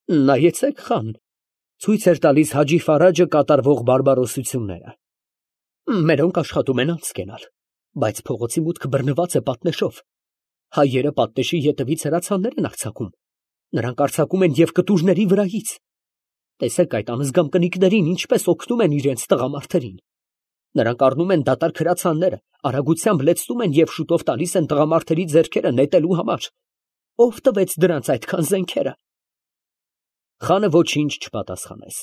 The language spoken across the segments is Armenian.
Նայեցեք, խան, ցույց էր տալիս Հաջի Ֆարաջը կատարվող բարբարոսությունները։ Մերոնք աշխատում են անցք գնալ, բայց փողոցի մուտքը բռնված է պատնեշով։ Հայերը պատնեշի ետևից հրացաններ են արձակում։ Նրանք արձակում են և կտուրների վրայից։ Տեսեք այդ անզգամ կնիկներին ինչպես օգնում են իրենց տղամարդերին։ Նրանք առնում են դատարկ հրացանները, արագությամբ լեցնում են և շուտով տալիս են տղամարդերի ձեռքերը նետելու համար։ Ո՞վ տվեց դրանց այդքան զենքերը։ Խանը ոչինչ չպատասխանեց։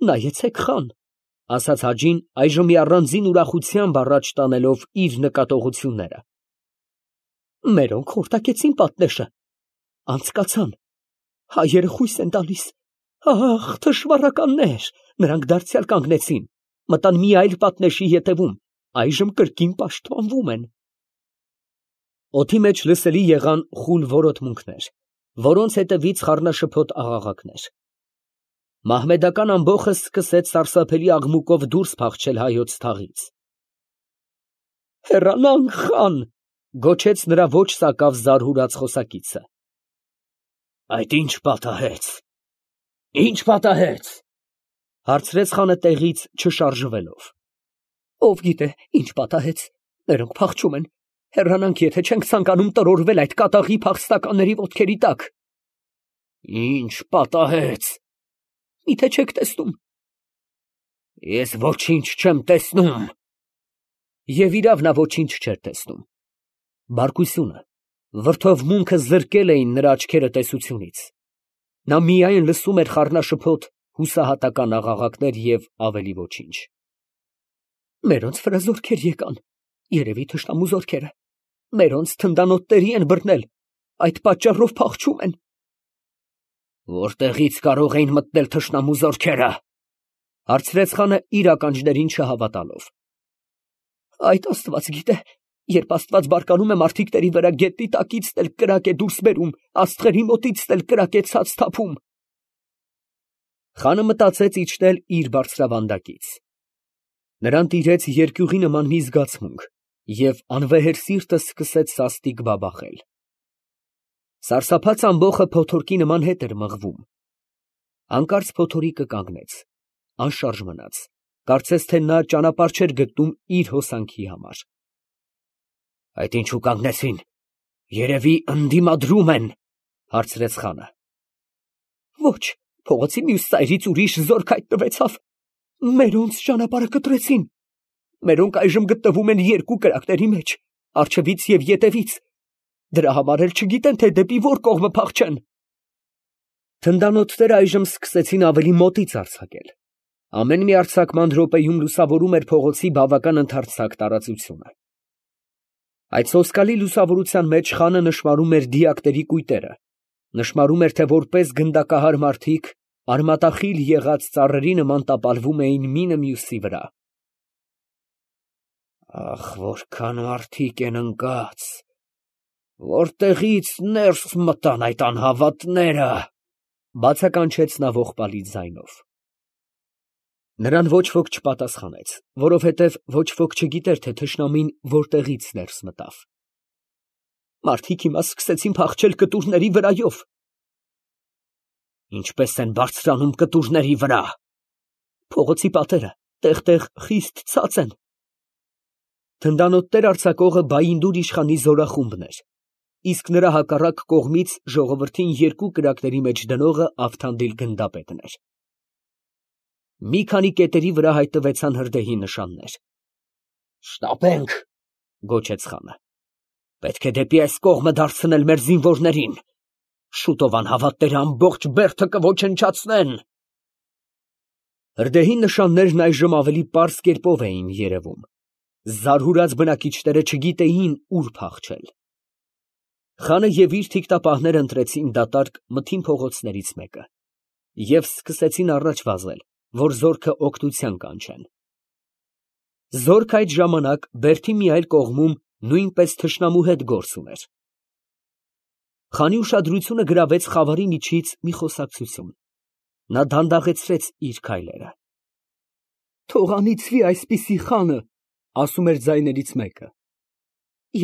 Նայեցեք, խան, ասաց Հաջին, այժմ մի առանձին ուրախությամբ առաջ տանելով իր նկատողությունները։ Մերոնք խորտակեցին պատնեշը, անցկացան, հայերը խույս են տալիս։ Ահ, թշվառականներ, նրանք դարձյալ կանգնեցին, մտան մի այլ պատնեշի ետևում, այժմ կրկին պաշտպանվում են։ Օդի մեջ լսելի եղան խուլ որոտմունքներ, որոնց հետևից խառնաշփոթ աղաղակներ։ Մահմեդական ամբոխը սկսեց սարսափելի աղմուկով դուրս փախչել հայոց թաղից։ Հեռանանք, խան, գոչեց նրա ոչ սակավ զարհուրած խոսակիցը։ Այդ ի՞նչ պատահեց։ Ի՞նչ պատահեց, հարցրեց խանը տեղից չշարժվելով։ Ով գիտե, ինչ պատահեց, նրանք փախչում են, հեռանանք, եթե չենք ցանկանում տրորվել այդ կատաղի փախստականների ոտքերի տակ։ Ինչ պատահեց, միթե չեք տեսնում։ Ես ոչինչ չեմ տեսնում։ Եվ իրավ նա ոչինչ չէր տեսնում։ Բարկությունը, վրդովմունքը զրկել էին նրա աչքերը տեսությունից։ Նա միայն լսում էր խառնաշփոթ հուսահատական աղաղակներ և ավելի ոչինչ։ Մերոնց վրա զորքեր եկան, երևի թշնամու զորքերը, մերոնց թնդանոթների են բռնել, այդ պատճառով փախչում են։ Որտեղից կարող էին մտնել թշնամու զորքերը, հարցրեց խանը իր ականջներին չհավատալով։ Այդ Աստված գիտե, երբ Աստված բարկանում է մարդիկների վրա, գետնի տակից էլ կրակ է դուրս բերում, աստղերի մոտից էլ կրակ է ցած թափում։ Խանը մտածեց իջնել իր բարձրավանդակից։ Նրան տիրեց երկյուղի նման մի զգացմունք, և անվեհեր սիրտը սկսեց սաստիկ բաբախել։ Սարսափած ամբոխը փոթորկի նման հետ էր մղվում։ Հանկարծ փոթորիկը կանգնեց, անշարժ մնաց, կարծես թե նա ճանապարհ չէր գտնում իր հոսանքի համար։ Այդ ինչու կանգնեցին, երևի ընդդիմադրում են, հարցրեց խանը։ Ոչ, փողոցի մյուս ծայրից ուրիշ զորք հայտնվեցավ, մերոնց ճանապարհը կտրեցին, մերոնք այժմ գտնվում են երկու կրակների մեջ, առջևից և ետևից, դրա համար էլ չգիտեն, թե դեպի որ կողմը փախչեն։ Թնդանոթները այժմ սկսեցին ավելի մոտից արձակել։ Ամեն մի արձակման րոպեում լուսավորում էր փողոցի բավական ընդարձակ տարածությունը։ Այդ սոսկալի լուսավորության մեջ խանը նշմարում էր դիակների կույտերը, նշմարում էր, թե որպես գնդակահար մարդիկ արմատախիլ եղած ծառերի նման տապալվում էին մինը մյուսի վրա։ Ախ, որքան մարդիկ են ընկած, որտեղից ներս մտան այդ անհավատները, բացականչեց նա ողբալի ձայնով։ Նրան ոչ ոք չպատասխանեց, որովհետև ոչ ոք չգիտեր, թե թշնամին որտեղից ներս մտավ։ Մարդիկ հիմա սկսեցին փախչել կտուրների վրայով։ Ինչպես են բարձրանում կտուրների վրա։ Փողոցի պատերը տեղ-տեղ խիստ ցած են։ Թնդանոթներ արձակողը Բայինդուր իշխանի զորախումբն էր, իսկ նրա հակառակ կողմից ժողովրդին երկու կրակների մեջ դնողը Ավթանդիլ գնդապետն էր։ Մի քանի կետերի վրա հայտնվեցան հրդեհի նշաններ։ Շտապենք, գոչեց խանը։ Պետք է դեպի այս կողմը դարձնել մեր զինվորներին։ Շուտով անհավատները ամբողջ բերդը կոչնչացնեն։ Հրդեհի նշաններն այժմ ավելի պարզ կերպով էին երևում։ Զարհուրած բնակիչները չգիտեին ուր փախչել։ Խանը և իր թիկտապահները ընտրեցին դատարկ մթին փողոցներից մեկը և սկսեցին առաջ վազել, որ զորքը օգնության կանչեն։ Զորքը այդ ժամանակ բերդի մի այլ կողմում նույնպես թշնամու հետ գործ ուներ։ Խանի ուշադրությունը գրավեց խավարի միջից մի խոսակցություն։ Նա դանդաղեցրեց իր քայլերը։ Թող անիծվի այսպիսի խանը, ասում էր ձայներից մեկը։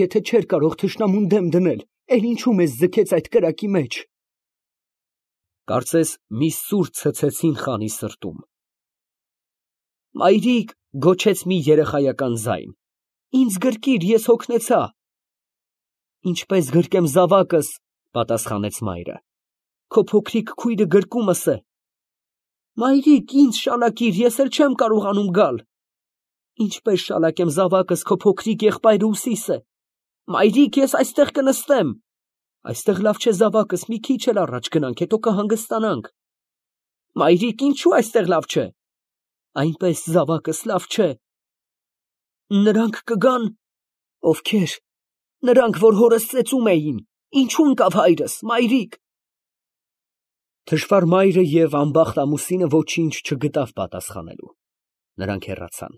Եթե չէր կարող թշնամուն դեմ դնել, էլ ինչու մեզ ձգեց այդ կրակի մեջ։ Կարծես մի սուր ցցեցին խանի սրտում։ Մայրիկ, գոչեց մի երեխայական ձայն, ինձ գրկիր, ես հոգնեցա։ Ինչպես գրկեմ զավակս, պատասխանեց մայրը, քո փոքրիկ քույրը գրկումս է։ Մայրիկ, ինձ շալակիր, ես էլ չեմ կարողանում գալ։ Ինչպես շալակեմ զավակս, քո փոքրիկ եղբայրը ուսիս է։ Մայրիկ, ես այստեղ կնստեմ։ Այստեղ լավ չէ զավակս, մի քիչ էլ առաջ գնանք, հետո կհանգստանանք։ Մայրիկ, ինչու այստեղ լավ չէ։ Այնպես զավակս լավ չէ։ Նրանք կգան։ Ովքեր։ Նրանք, որ հորս ծեծում էին։ Ինչու ընկավ հայրս, մայրիկ։ Թշվառ մայրը և անբախտ ամուսինը ոչինչ չգտավ պատասխանելու։ Նրանք հեռացան,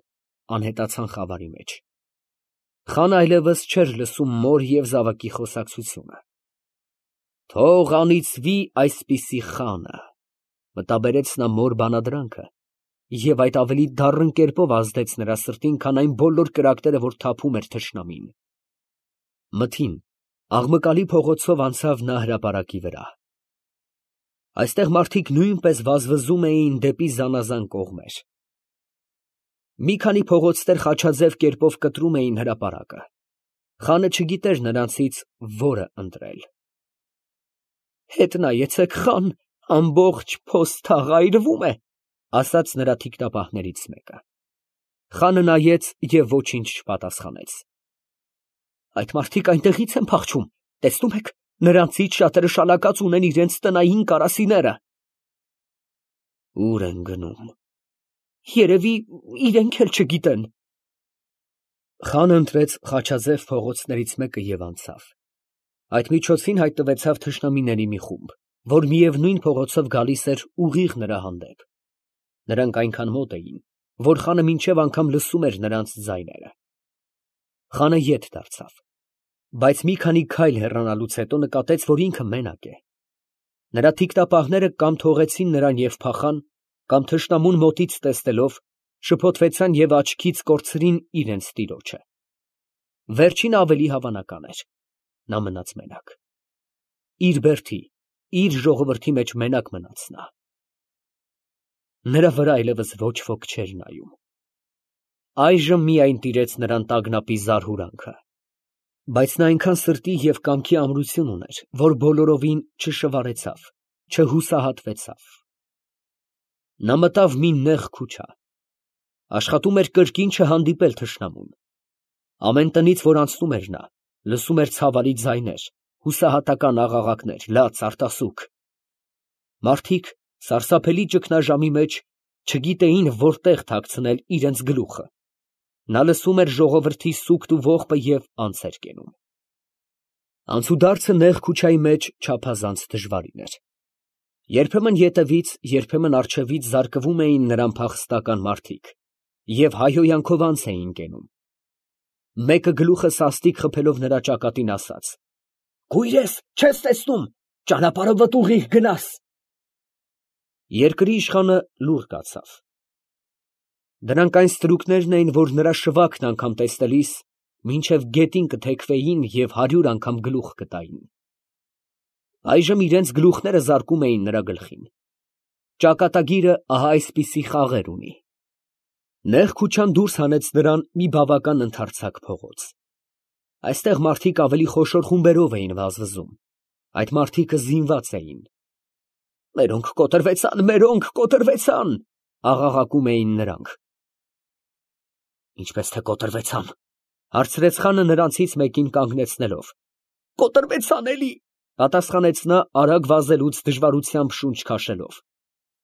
անհետացան խավարի մեջ։ Խանը այլևս չէր լսում մոր և զավակի խոսակցությունը։ Թող անիծվի այսպիսի խանը, մտաբերեց նա մոր բանադրանքը, և այդ ավելի դառն կերպով ազդեց նրա սրտին, քան այն բոլոր կրակները, որ թափում էր թշնամին։ Մթին, աղմկալի փողոցով անցավ նա հրապարակի վրա։ Այստեղ մարդիկ նույնպես վազվզում էին դեպի զանազան կողմեր։ Մի քանի փողոցներ խաչաձև կերպով կտրում էին հրապարակը։ Խանը չգիտեր նրանցից որը ընտրել։ Հետ նայեցեք, խան, ամբողջ փոստաղ այրվում է, ասաց նրա թիկնապահներից մեկը։ Խանը նայեց և ոչինչ չպատասխանեց։ Այդ մարդիկ այնտեղից են փախչում, տեսնում եք, նրանցից շատերը շալակած ունեն իրենց տնային կարասիները։ Ուր են գնում։ Երևի իրենք էլ չգիտեն։ Խանը ընտրեց խաչաձև փողոցներից մեկը և անցավ։ Այդ միջոցին հայտնվեցավ թշնամիների մի խումբ, որ միևնույն փողոցով գալիս էր ուղիղ նրա հանդեպ։ Նրանք այնքան մոտ էին, որ խանը մինչև անգամ լսում էր նրանց ձայները։ Խանը ետ դարձավ, բայց մի քանի քայլ հեռանալուց հետո նկատեց, որ ինքը մենակ է։ Նրա թիկնապահները կամ թողեցին նրան և փախան, կամ թշնամուն մոտից տեսնելով, շփոթվեցան և աչքից կորցրին իրենց տիրոջը։ Վերջինը ավելի հավանական էր, նա մնաց մենակ։ Իր բերդի, իր ժողովրդի մեջ մենակ մնաց նա։ Նրա վրա այլևս ոչ ոք չէր նայում։ Այժմ միայն տիրեց նրան տագնապի զարհուրանքը։ Բայց նա այնքան սրտի և կամքի ամրություն ուներ, որ բոլորովին չշվարեցավ, չհուսահատվեցավ։ Նա մտավ մի նեղ քուչա։ Աշխատում էր կրկին չհանդիպել թշնամուն։ Ամեն տնից, որ անցնում էր նա, լսում էր ցավալի ձայներ, հուսահատական աղաղակներ, լաց, արտասուք։ Մարդիկ սարսափելի ճգնաժամի մեջ չգիտեին որտեղ թաքցնել իրենց գլուխը։ Նա լսում էր ժողովրդի սուգտ ու ողբը և անց էր կենում։ Անցուդարձը նեղ քուչայի մեջ չափազանց դժվարին էր։ Երբեմն ետևից, երբեմն առջևից զարկվում էին նրան փախստական մարդիկ և հայհոյանքով անց էին կենում։ Մեկը գլուխը սաստիկ խփելով նրա ճակատին ասաց. «Կույրես, չես տեսնում, ճանապարհը վտուղի, գնաս»։ Երկրի իշխանը լուռ կացավ։ Դրանք այն ստրուկներն էին, որ նրա շվաքն անգամ տեսնելիս մինչև գետին կթեքվեին և 100 անգամ գլուխ կտային։ Այժմ իրենց գլուխները զարկում էին նրա գլխին։ Ճակատագիրը ահա այսպիսի խաղեր ունի։ Նեղ քուչան դուրս հանեց նրան մի բավական ընդարձակ փողոց։ Այստեղ մարդիկ ավելի խոշոր խումբերով էին վազվզում։ Այդ մարդիկը զինված էին։ Մերոնք կոտրվեցան, մերոնք կոտրվեցան, աղաղակում էին նրանք։ Ինչպես թե կոտրվեցան, հարցրեց խանը նրանցից մեկին կանգնեցնելով։ Կոտրվեցան էլի, պատասխանեց նա արագ վազելուց դժվարությամբ շունչ քաշելով։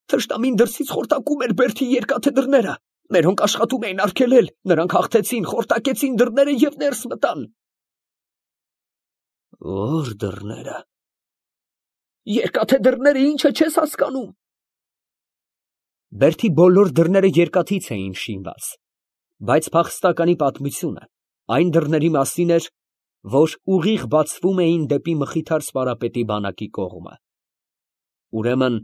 Թշնամին դրսից խորտակում էր բերդի երկաթե դռները, մերոնք աշխատում էին արգելել, նրանք հաղթեցին, խորտակեցին դռները և ներս մտան։ Ո՞ր դռները։ Երկաթե դռները ինչը չես հասկանում։ Բերդի բոլոր դռները երկաթից էին շինված, բայց փախստականի պատմությունը այն դռների մասին էր, որ ուղիղ բացվում էին դեպի Մխիթար Սպարապետի բանակի կողմը։ Ուրեմն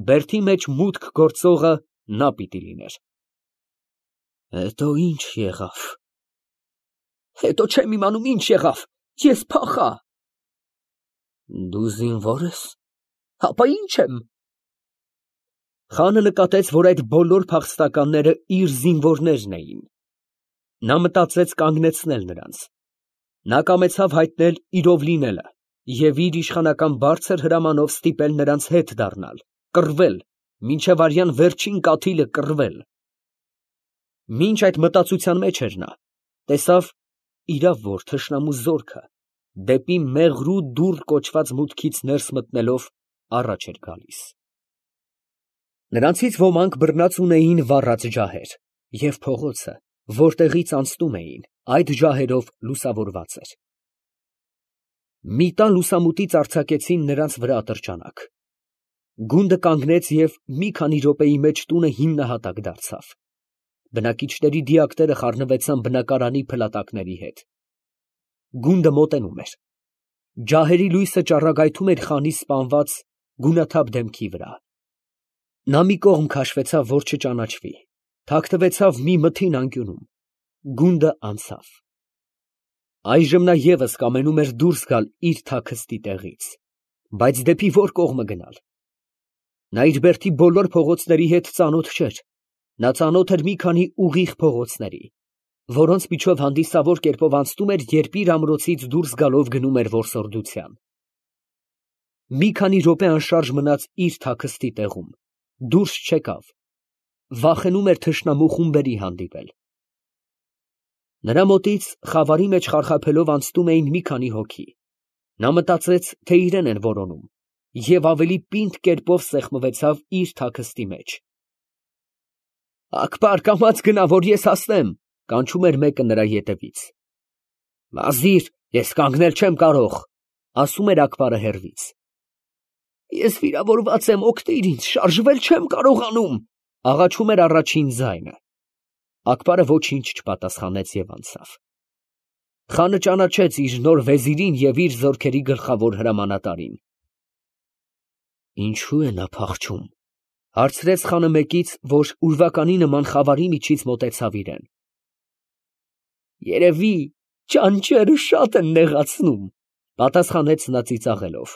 բերդի մեջ մուտք գործողը նա պիտի լիներ։ Հետո ինչ եղավ։ Հետո չեմ իմանում ինչ եղավ, ես փախա։ Դու զինվո՞ր ես։ Հապա ինչ եմ, Խանը նկատեց, որ այդ բոլոր փախստականները իր զինվորներն էին։ Նա մտածեց կանգնեցնել նրանց։ Նա կամեցավ հայտնել իրով լինելը և իր իշխանական բարձր հրամանով ստիպել նրանց հետ դառնալ, կռվել, մինչև արյան վերջին կաթիլը կռվել։ Մինչ այդ մտածության մեջ էր նա, տեսավ, իրավ որ թշնամու զորքը դեպի Մեղրու դուռ կոչված մուտքից ներս մտնելով առաջ էր գալիս։ Նրանցից ոմանք բռնած ունեին վառած ջահեր, և փողոցը, որտեղից անցնում էին, այդ ջահերով լուսավորված էր։ Մի տան լուսամուտից արձակեցին նրանց վրա ատրճանակ։ Գունդը կանգնեց և մի քանի րոպեի մեջ տունը հիմնահատակ դարձավ։ Բնակիչների դիակները խառնվեցան բնակարանի փլատակների հետ։ Գունդը մոտենում էր։ Ջահերի լույսը ճառագայթում էր խանի սպանված գունաթափ դեմքի վրա։ Նա մի կողմ քաշվեցավ, որ չճանաչվի, թաքնվեցավ մի մթին անկյունում։ Գունդը անցավ։ Այժմ նա ևս կամենում էր դուրս գալ իր թաքստի տեղից, բայց դեպի որ կողմը գնալ։ Նա իր բերդի բոլոր փողոցների հետ ծանոթ չէր։ Նա ծանոթ էր մի քանի ուղիղ փողոցների, որոնց միջով հանդիսավոր կերպով անցնում էր, երբ իր ամրոցից դուրս գալով գնում էր որսորդության։ Մի քանի րոպե անշարժ մնաց իր թաքստի տեղում, դուրս չեկավ, վախենում էր թշնամու խումբերի հանդիպել։ Նրա մոտից խավարի մեջ խարխափելով անցնում էին մի քանի հոգի։ Նա մտածեց, թե իրեն են որոնում, և ավելի պինդ կերպով սեղմվեցավ իր թաքստի մեջ։ «Ակբար, կամաց գնա, որ ես հասնեմ», ֊ կանչում էր մեկը նրա ետևից։ «Վազիր, ես կանգնել չեմ կարող», ֊ ասում էր Ակբարը հեռվից։ «Ես վիրավորված եմ, օգնիր ինձ, շարժվել չեմ կարողանում», ֊ աղաչում էր առաջին ձայնը։ Ակբարը ոչինչ չպատասխանեց և անցավ։ Խանը ճանաչեց իր նոր վեզիրին և իր զորքերի գլխավոր հրամանատարին։ «Ինչո՞ւ է նա փախչում», ֊ հարցրեց խանը մեկից, որ ուրվականի նման խավարի միջից մոտեցավ իրան։ «Երևի ճանճերը շատ են նեղացնում», ֊ պատասխանեց նա ծիծաղելով։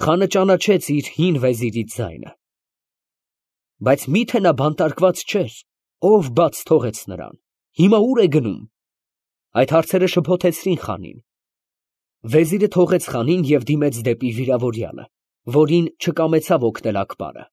Խանը ճանաչեց իր հին վեզիրի ձայնը։ Բայց մի՞թե նա բանտարկված չէր, ով բաց թողեց նրան, հիմա ո՞ւր է գնում։ Այդ հարցերը շփոթեցրին խանին։ Վեզիրը թողեց խանին և դիմեց դեպի վիրավորյալը, որին չկամեցավ օգնել Ակբարը։